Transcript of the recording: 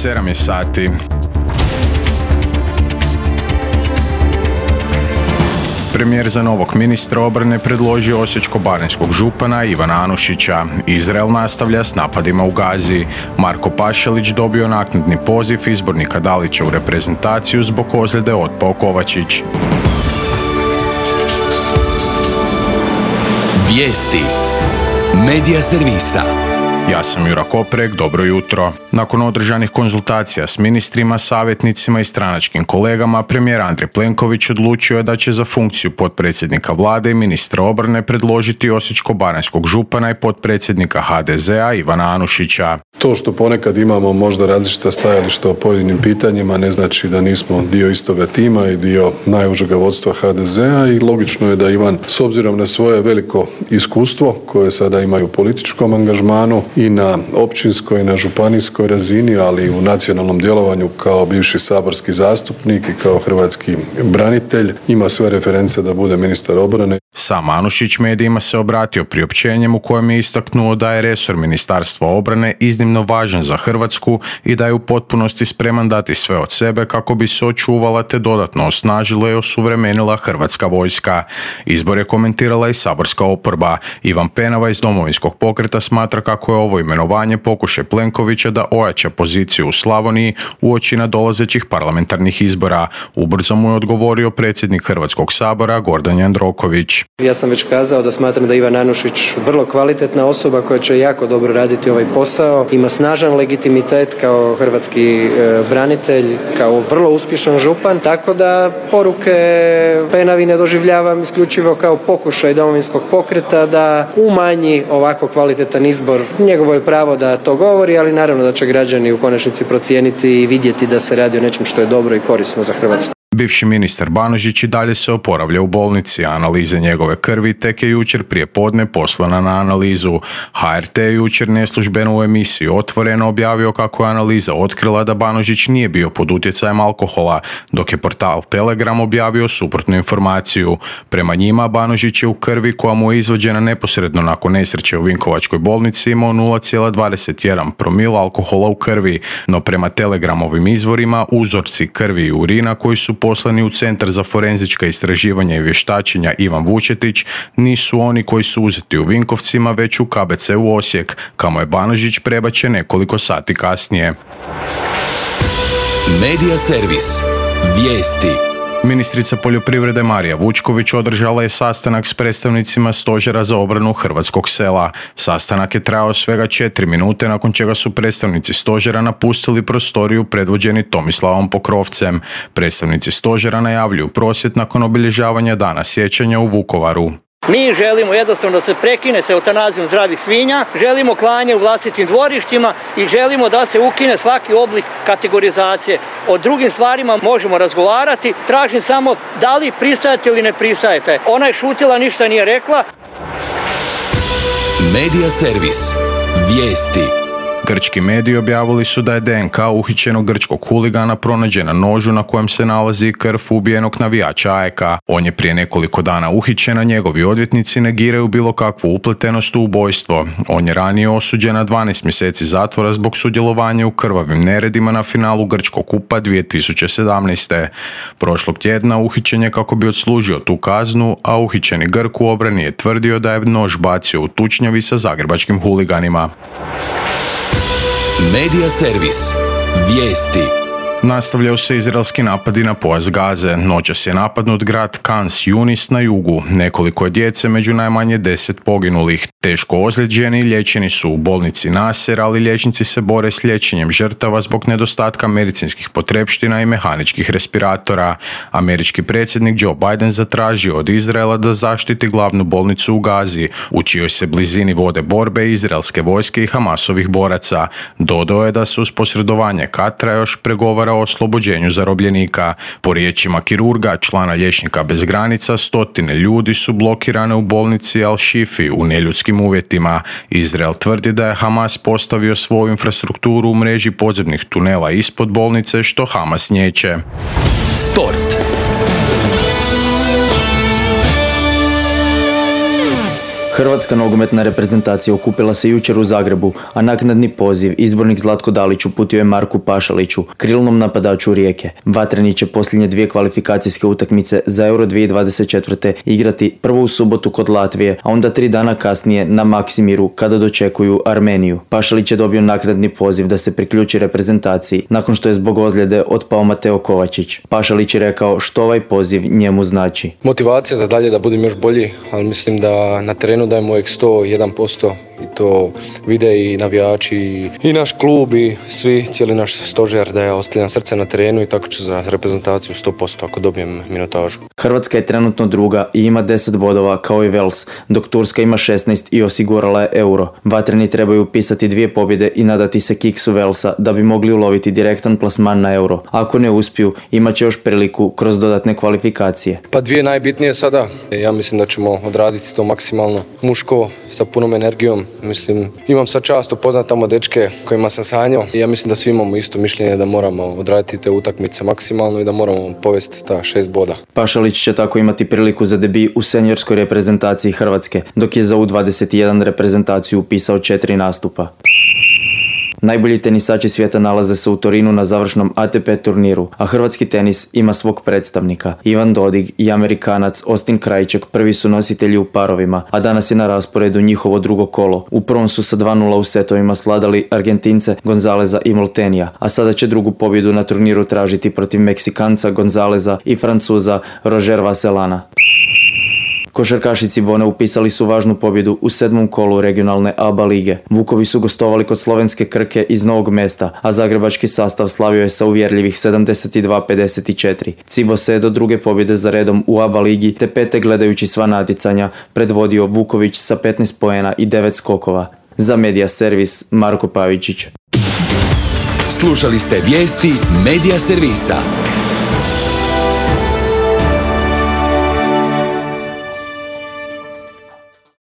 7 je sati. Premijer za novog ministra obrane predložio osječko-baranjskog župana Ivana Anušića. Izrael nastavlja s napadima u Gazi. Marko Pašalić dobio naknadni poziv izbornika Dalića u reprezentaciju zbog ozljede otpao Kovačić. Vijesti Medija servisa. Ja sam Jura Koprek, dobro jutro. Nakon održanih konzultacija s ministrima, savjetnicima i stranačkim kolegama, premijer Andrej Plenković odlučio je da će za funkciju potpredsjednika vlade i ministra obrane predložiti osječko-baranjskog župana i potpredsjednika HDZ-a Ivana Anušića. To što ponekad imamo možda različita stajališta o pojedinim pitanjima ne znači da nismo dio istoga tima i dio najužega vodstva HDZ-a i logično je da Ivan, s obzirom na svoje veliko iskustvo koje sada imaju u političkom angažmanu i na općinskoj i na županijskoj razini, ali i u nacionalnom djelovanju kao bivši saborski zastupnik i kao hrvatski branitelj, ima sve reference da bude ministar obrane. Sam Anušić medijima se obratio priopćenjem u kojem je istaknuo da je resor Ministarstva obrane iznimno važan za Hrvatsku i da je u potpunosti spreman dati sve od sebe kako bi se očuvala te dodatno osnažila i osuvremenila Hrvatska vojska. Izbor je komentirala i saborska oporba. Ivan Penava iz Domovinskog pokreta smatra kako je ovo imenovanje pokušaj Plenkovića da ojača poziciju u Slavoniji uoči nadolazećih parlamentarnih izbora. Ubrzo mu je odgovorio predsjednik Hrvatskog sabora Gordan Jandroković. Ja sam već kazao da smatram da Ivan Anušić vrlo kvalitetna osoba koja će jako dobro raditi ovaj posao. Ima snažan legitimitet kao hrvatski branitelj, kao vrlo uspješan župan, tako da poruke Penavi ne doživljavam isključivo kao pokušaj Domovinskog pokreta da umanji ovako kvalitetan izbor. Njegovo je pravo da to govori, ali naravno da će građani u konačnici procijeniti i vidjeti da se radi o nečem što je dobro i korisno za Hrvatsku. Bivši ministar Banožić i dalje se oporavlja u bolnici, a analize njegove krvi tek je jučer prije podne poslana na analizu. HRT je jučer neslužbeno u emisiji Otvoreno objavio kako je analiza otkrila da Banožić nije bio pod utjecajem alkohola, dok je portal Telegram objavio suprotnu informaciju. Prema njima, Banožić je u krvi koja mu je izvađena neposredno nakon nesreće u Vinkovačkoj bolnici imao 0,21 promil alkohola u krvi, no prema Telegramovim izvorima uzorci krvi i urina koji su poslani u Centar za forenzička istraživanja i vještačenja Ivan Vučetić nisu oni koji su uzeti u Vinkovcima, već u KBC u Osijek, kamo je Banožić prebačen nekoliko sati kasnije. Medija servis. Vijesti. Ministrica poljoprivrede Marija Vučković održala je sastanak s predstavnicima Stožera za obranu hrvatskog sela. Sastanak je trajao svega 4 minute, nakon čega su predstavnici Stožera napustili prostoriju predvođeni Tomislavom Pokrovcem. Predstavnici Stožera najavljuju prosvjed nakon obilježavanja Dana sjećanja u Vukovaru. Mi želimo jednostavno da se prekine sa eutanazijom zdravih svinja, želimo klanje u vlastitim dvorištima i želimo da se ukine svaki oblik kategorizacije. O drugim stvarima možemo razgovarati, tražim samo da li pristajete ili ne pristajete. Ona je šutila, ništa nije rekla. Medija servis. Vijesti. Grčki mediji objavili su da je DNK uhićenog grčkog huligana pronađen na nožu na kojem se nalazi krv ubijenog navijača AEK-a. On je prije nekoliko dana uhićen, a njegovi odvjetnici negiraju bilo kakvu upletenost u ubojstvo. On je ranije osuđen na 12 mjeseci zatvora zbog sudjelovanja u krvavim neredima na finalu Grčkog kupa 2017. Prošlog tjedna uhićen je kako bi odslužio tu kaznu, a uhićeni Grk u obrani je tvrdio da je nož bacio u tučnjavi sa zagrebačkim huliganima. Medija servis. Vijesti. Nastavljaju se izraelski napadi na pojas Gaze. Noćas je napadnut grad Khan Yunis na jugu. Nekoliko je djece među najmanje 10 poginulih. Teško ozlijeđeni liječeni su u bolnici Nasser, ali liječnici se bore s liječenjem žrtava zbog nedostatka medicinskih potrepština i mehaničkih respiratora. Američki predsjednik Joe Biden zatražio od Izraela da zaštiti glavnu bolnicu u Gazi, u čijoj se blizini vode borbe izraelske vojske i Hamasovih boraca. Dodao je da se uz posredovanje Katra još pregovara o oslobođenju zarobljenika. Po riječima kirurga, člana Liječnika bez granica, stotine ljudi su blokirane u bolnici Al-Shifi u neljudskim uvjetima. Izrael tvrdi da je Hamas postavio svoju infrastrukturu u mreži podzemnih tunela ispod bolnice, što Hamas niječe. Sport. Hrvatska nogometna reprezentacija okupila se jučer u Zagrebu, a naknadni poziv izbornik Zlatko Dalić uputio je Marku Pašaliću, krilnom napadaču Rijeke. Vatreni će posljednje 2 kvalifikacijske utakmice za Euro 2024. igrati prvo u subotu kod Latvije, a onda 3 dana kasnije na Maksimiru kada dočekuju Armeniju. Pašalić je dobio naknadni poziv da se priključi reprezentaciji nakon što je zbog ozljede otpao Mateo Kovačić. Pašalić je rekao što ovaj poziv njemu znači. Motivacija za dalje da budem još bolji, ali mislim da na terenu dajemo uvijek 101% i to vide i navijači i naš klub i svi, cijeli naš stožer da ja ostavljam srce na terenu i tako ću za reprezentaciju 100% ako dobijem minutažu. Hrvatska je trenutno druga i ima 10 bodova kao i Wales, dok Turska ima 16 i osigurala je Euro. Vatreni trebaju upisati 2 pobjede i nadati se kiksu Walesa da bi mogli uloviti direktan plasman na Euro. Ako ne uspiju, imat će još priliku kroz dodatne kvalifikacije. Pa 2 najbitnije sada, ja mislim da ćemo odraditi to maksimalno muško sa punom energijom. Mislim, imam sad čast upoznat tamo dečke kojima sam sanjao i ja mislim da svi imamo isto mišljenje da moramo odraditi te utakmice maksimalno i da moramo povesti ta 6 boda. Pašalić će tako imati priliku za debi u seniorskoj reprezentaciji Hrvatske, dok je za U21 reprezentaciju upisao 4 nastupa. Najbolji tenisači svijeta nalaze se u Torinu na završnom ATP turniru, a hrvatski tenis ima svog predstavnika. Ivan Dodig i Amerikanac Austin Krajček prvi su nositelji u parovima, a danas je na rasporedu njihovo drugo kolo. U prvom su sa 2:0 u setovima sladali Argentince Gonzaleza i Moltenija, a sada će drugu pobjedu na turniru tražiti protiv Meksikanca Gonzaleza i Francuza Roger Vasselana. Košarkaši Cibone upisali su važnu pobjedu u 7. kolu regionalne ABA lige. Vukovi su gostovali kod slovenske Krke iz Novog Mesta, a zagrebački sastav slavio je sa uvjerljivih 72-54. Cibo se je do druge pobjede za redom u ABA ligi te pete gledajući sva natjecanja predvodio Vuković sa 15 poena i 9 skokova. Za Medija Servis Marko Pavičić. Slušali ste vijesti Medija Servisa.